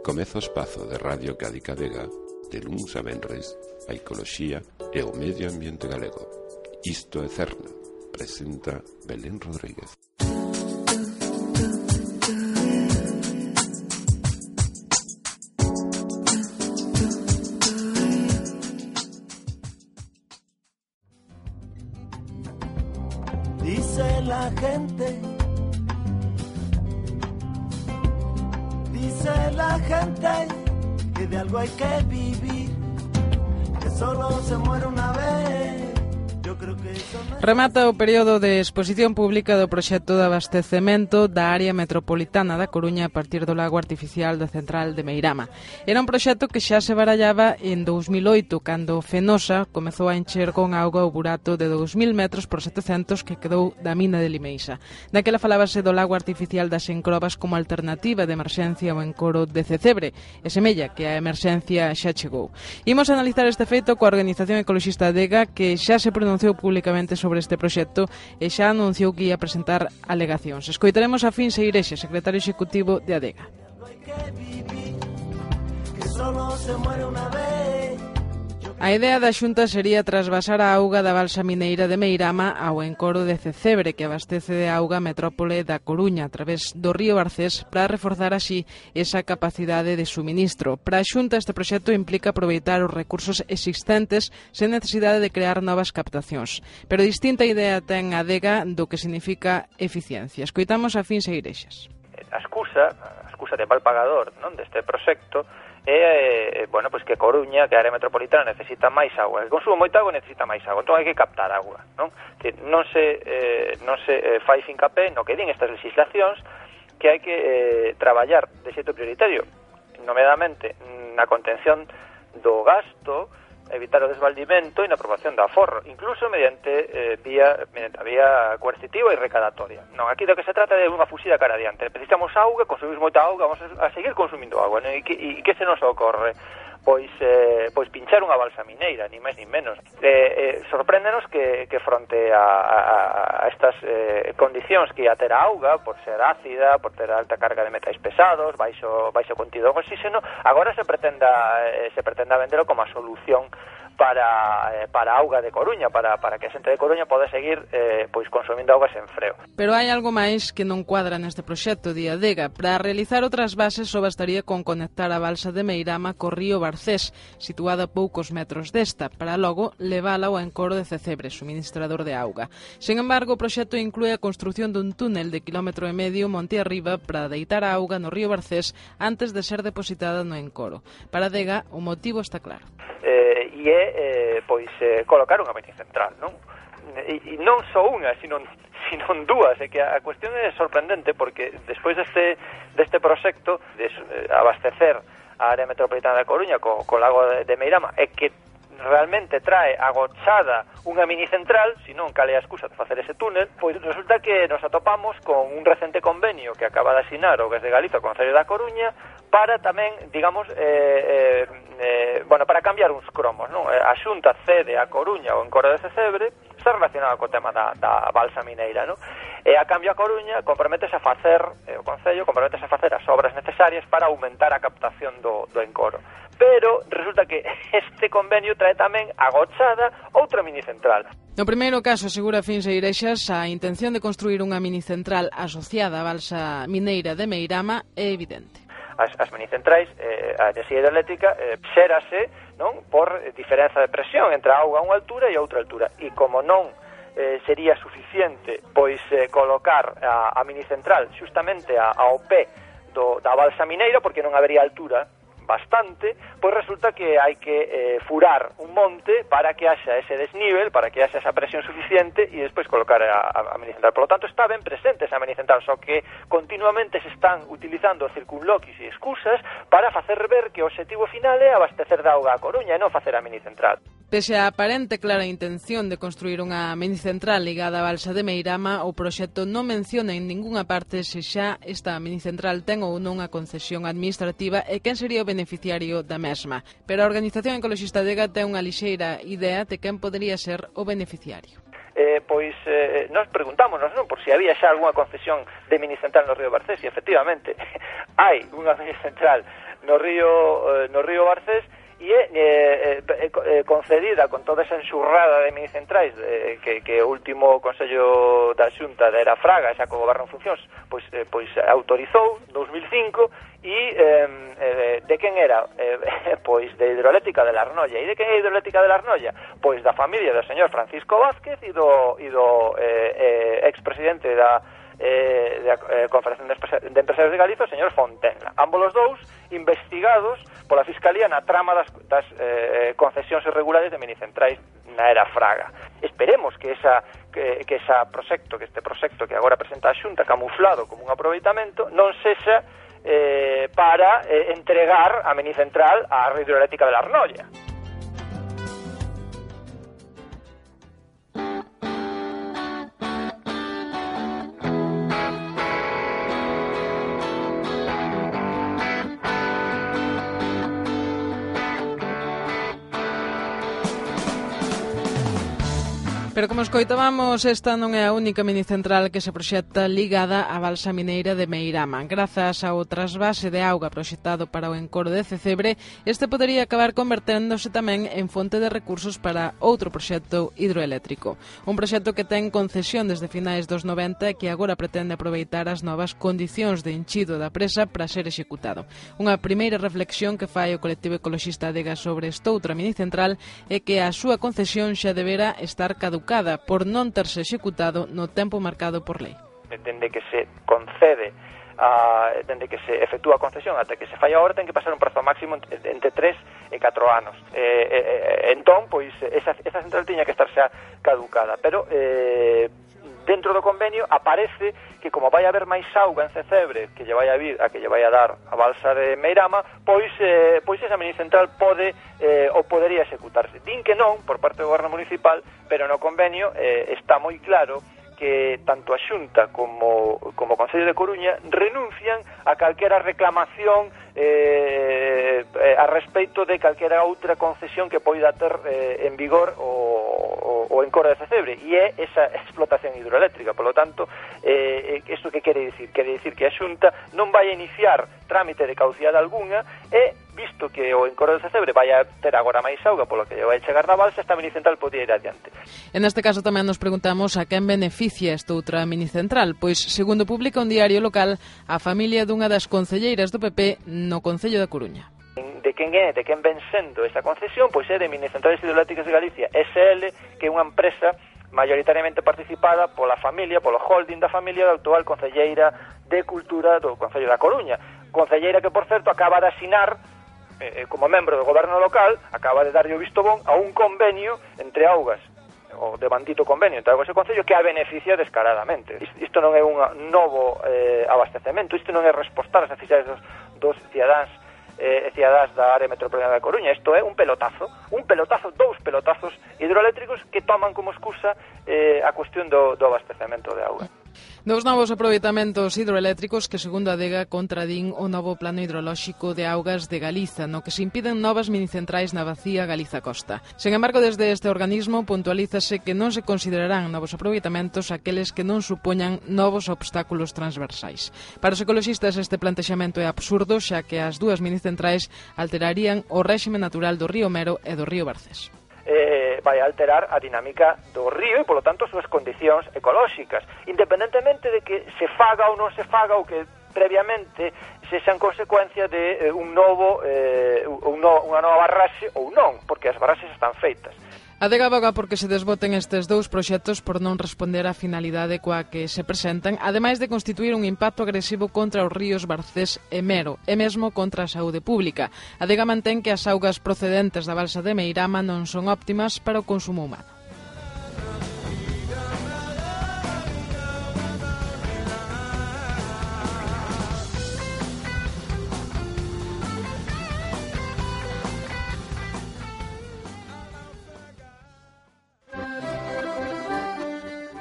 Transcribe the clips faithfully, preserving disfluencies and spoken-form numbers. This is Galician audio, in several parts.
Comeza o espazo de Radio Cadicadega de luns a venres, a ecoloxía e o medio ambiente galego. Isto é Cerna, presenta Belén Rodríguez. Dice la gente, dice la gente que de algo hay que vivir, que solo se muere una vez. Yo creo que eso no... Remata o período de exposición pública do proxecto de abastecemento da área metropolitana da Coruña a partir do lago artificial da central de Meirama. Era un proxecto que xa se barallaba en dous mil oito, cando Fenosa comezou a encher con auga o burato de dous mil metros por setecentos que quedou da mina de Limeixa. Daquela falábase do lago artificial das Encrobas como alternativa de emerxencia ao encoro de Cecebre, e semella que a emerxencia xa chegou. Imos analizar este feito coa Organización Ecoloxista Adega, que xa se pronunciou públicamente sobre este proxecto e xa anunciou que ia presentar alegacións. Escoitaremos a Fin Seirexa, secretario executivo de Adega. A idea da Xunta sería trasvasar a auga da balsa mineira de Meirama ao encoro de Cecebre, que abastece de auga a metrópole da Coruña a través do río Barcés, para reforzar así esa capacidade de suministro. Para a Xunta, este proxecto implica aproveitar os recursos existentes sen necesidade de crear novas captacións. Pero distinta idea ten a Adega do que significa eficiencia. Escoitamos a Fin Seirexas. A excusa, a excusa de mal pagador, non, deste proxecto é, eh, bueno, pois que Coruña, que a área metropolitana necesita máis agua, que consume moita agua necesita máis agua, entón hai que captar agua, non? Que non se eh, non se eh, fai fincapé no que din estas legislacións que hai que eh, traballar de xeito prioritario, nomeadamente na contención do gasto, evitar o desvaldimento e na aprobación do aforro, incluso mediante eh, vía mediante a vía coercitiva e recadatoria. Non, aquí do que se trata é unha fuxida cara adiante. Necesitamos auga, consumimos moita auga, vamos a seguir consumindo auga, non? E que, e que se nos ocorre? Pois eh, pois pinchar unha balsa mineira, ni máis ni menos. Eh, eh, sorpréndenos que, que fronte a, a, a estas eh, condicións que ia ter a auga, por ser ácida, por ter alta carga de metais pesados, baixo, baixo contido de oxígeno, agora se pretenda eh, se pretenda vendelo como a solución para eh, para a auga de Coruña, para, para que a xente de Coruña poda seguir eh, pois consumindo auga sen freo. Pero hai algo máis que non cuadra neste proxecto de Adega. Para realizar outras bases só bastaría con conectar a balsa de Meirama co río Barcés, situada a poucos metros desta, para logo levala ao encoro de Cecebre, suministrador de auga. Sen embargo, o proxecto inclúe a construción dun túnel de quilómetro e medio monte arriba para deitar a auga no río Barcés antes de ser depositada no encoro. Para Adega, o motivo está claro. Eh, e é eh, pois eh, colocar unha mini central, non? E, e non só unha, sino, sino dúas, é que a, a cuestión é sorprendente porque despois deste, deste proxecto de eh, abastecer a área metropolitana da Coruña co, co lago de, de Meirama é que realmente trae agochada unha mini central, senón cal é a excusa de facer ese túnel, pois resulta que nos atopamos con un recente convenio que acaba de asinar o Gas de Galiza con o Concello da Coruña para tamén, digamos, eh, eh, eh, bueno, para cambiar uns cromos, non? A Xunta cede a Coruña o encoro de Cecebre, está relacionado co tema da, da balsa mineira, non? E a cambio a Coruña comprométese a facer, eh, o Concello comprométese a facer as obras necesarias para aumentar a captación do, do encoro. Pero resulta que este convenio trae tamén agochada outra mini central. No primeiro caso, asegura Fin Seirexas, a intención de construir unha mini central asociada á balsa mineira de Meirama é evidente. As, as minicentrais, eh, a enerxía hidroeléctrica eh, xérase, non, por diferenza de presión entre a auga a unha altura e a outra altura. E como non eh, sería suficiente pois eh, colocar a, a minicentral xustamente a, ao pé do, da balsa mineira, porque non habería altura bastante, pois resulta que hai que eh, furar un monte para que haxa ese desnivel, para que haxa esa presión suficiente e despois colocar a, a, a minicentral. Por lo tanto, está ben presente esa minicentral, só que continuamente se están utilizando circunloquis e excusas para facer ver que o obxectivo final é abastecer de auga a Coruña e non facer a minicentral. Pese a aparente clara intención de construir unha minicentral ligada á balsa de Meirama, o proxecto non menciona en ningunha parte se xa esta minicentral ten ou non a concesión administrativa e quen sería o beneficiario da mesma. Pero a Organización Ecoloxista Adega ten unha lixeira idea de quen podería ser o beneficiario. Eh, pois eh, nos preguntámonos, non, por si había xa algunha concesión de minicentral no río Barcés, e efectivamente hai unha minicentral no río, no río Barcés, e é eh, eh, concedida con toda esa enxurrada de minicentrais eh, que, que o último Consello da Xunta de Era Fraga, xa co goberno en funcións, pois, eh, pois autorizou dous mil cinco e eh, eh, de quen era? Eh, pois de Hidroeléctrica de la Arnolla. E de quen é Hidroeléctrica de la Arnolla? Pois da familia do señor Francisco Vázquez e do, e do eh, eh, expresidente da eh, da eh, Confederación de Empresarios de Galicia, o señor Fontenla. Ambos os dous investigados pola Fiscalía na trama das, das eh, concesións irregulares de minicentrais na Era Fraga. Esperemos que esa que, que esa proxecto, que este proxecto que agora presenta a Xunta camuflado como un aproveitamento non sexa eh, para eh, entregar a minicentral á Red Hidroeléctrica de la Arnolla. Pero como escoitábamos, esta non é a única minicentral que se proxecta ligada á balsa mineira de Meirama. Grazas ao trasvase de auga proxectado para o encoro de Cecebre, este podería acabar converténdose tamén en fonte de recursos para outro proxecto hidroeléctrico. Un proxecto que ten concesión desde finais dos noventa e que agora pretende aproveitar as novas condicións de enchido da presa para ser executado. Unha primeira reflexión que fai o colectivo ecoloxista Adega sobre estoutra minicentral é que a súa concesión xa debera estar caducada por non terse executado no tempo marcado por lei. Dende que se concede, a, dende que se efectúa a concesión até que se fai a obra, ten que pasar un prazo máximo entre tres e catro anos. Eh, eh, entón, pois, esa, esa central tiña que estar xa caducada, pero eh, dentro do convenio aparece que como vai haber máis auga en Cecebre que lle vai a vir a que lle vai a dar a balsa de Meirama, pois eh, pois esa minicentral pode eh, ou podería executarse. Din que non por parte do goberno municipal, pero no convenio eh, está moi claro que tanto a Xunta como como o Concello de Coruña renuncian a calquera reclamación eh, eh, a respecto de calquera outra concesión que poida ter eh, en vigor o, o, o encoro de Cecebre, e é esa explotación hidroeléctrica. Por lo tanto, eh, isto que quere dicir? Quere dicir que a Xunta non vai a iniciar trámite de caducidade algunha e, visto que o encoro de Cecebre vai a ter agora máis auga polo que lle vai chegar na balsa, esta minicentral podía ir adiante. En este caso tamén nos preguntamos a quen beneficia esta outra minicentral, pois, segundo publica un diario local, a familia dunha das concelleiras do P P no Concello da Coruña. De quen é, de quen ven sendo esa concesión, pois é de Minicentrales Hidroeléctricas de Galicia S L, que é unha empresa maioritariamente participada pola familia, polo holding da familia da actual concelleira de Cultura do Concello da Coruña. Concelleira que, por certo, acaba de asinar eh, como membro do goberno local, acaba de darlle o visto bon a un convenio entre Augas, o de bandito convenio entre Augas e Concello, que a beneficia descaradamente. Isto non é un novo eh, abastecemento, isto non é respostar as necesidades dos, dos cidadáns e eh, cidadás da área metropolitana da Coruña. Isto é un pelotazo, un pelotazo, dous pelotazos hidroeléctricos que toman como excusa eh, a cuestión do, do abastecemento de auga. Dous novos aproveitamentos hidroeléctricos que, segundo a Adega, contradín o novo plano hidrolóxico de augas de Galiza, no que se impiden novas minicentrais na bacía Galiza-Costa. Sen embargo, desde este organismo puntualízase que non se considerarán novos aproveitamentos aqueles que non supoñan novos obstáculos transversais. Para os ecoloxistas este plantexamento é absurdo, xa que as dúas minicentrais alterarían o réxime natural do río Mero e do río Barcés. Eh, vai alterar a dinámica do río e, polo tanto, as súas condicións ecolóxicas, independentemente de que se faga ou non se faga ou que previamente se sean consecuencia de eh, un novo, eh, un no, unha nova barraxe ou non, porque as barraxes están feitas. Adega aboga porque se desboten estes dous proxectos por non responder á finalidade coa que se presentan, ademais de constituir un impacto agresivo contra os ríos Barcés e Mero, e mesmo contra a saúde pública. Adega mantén que as augas procedentes da balsa de Meirama non son óptimas para o consumo humano.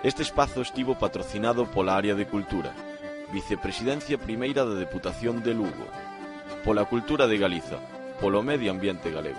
Este espazo estivo patrocinado pola Área de Cultura, Vicepresidencia Primeira da Deputación de Lugo, pola Cultura de Galiza, polo Medio Ambiente Galego.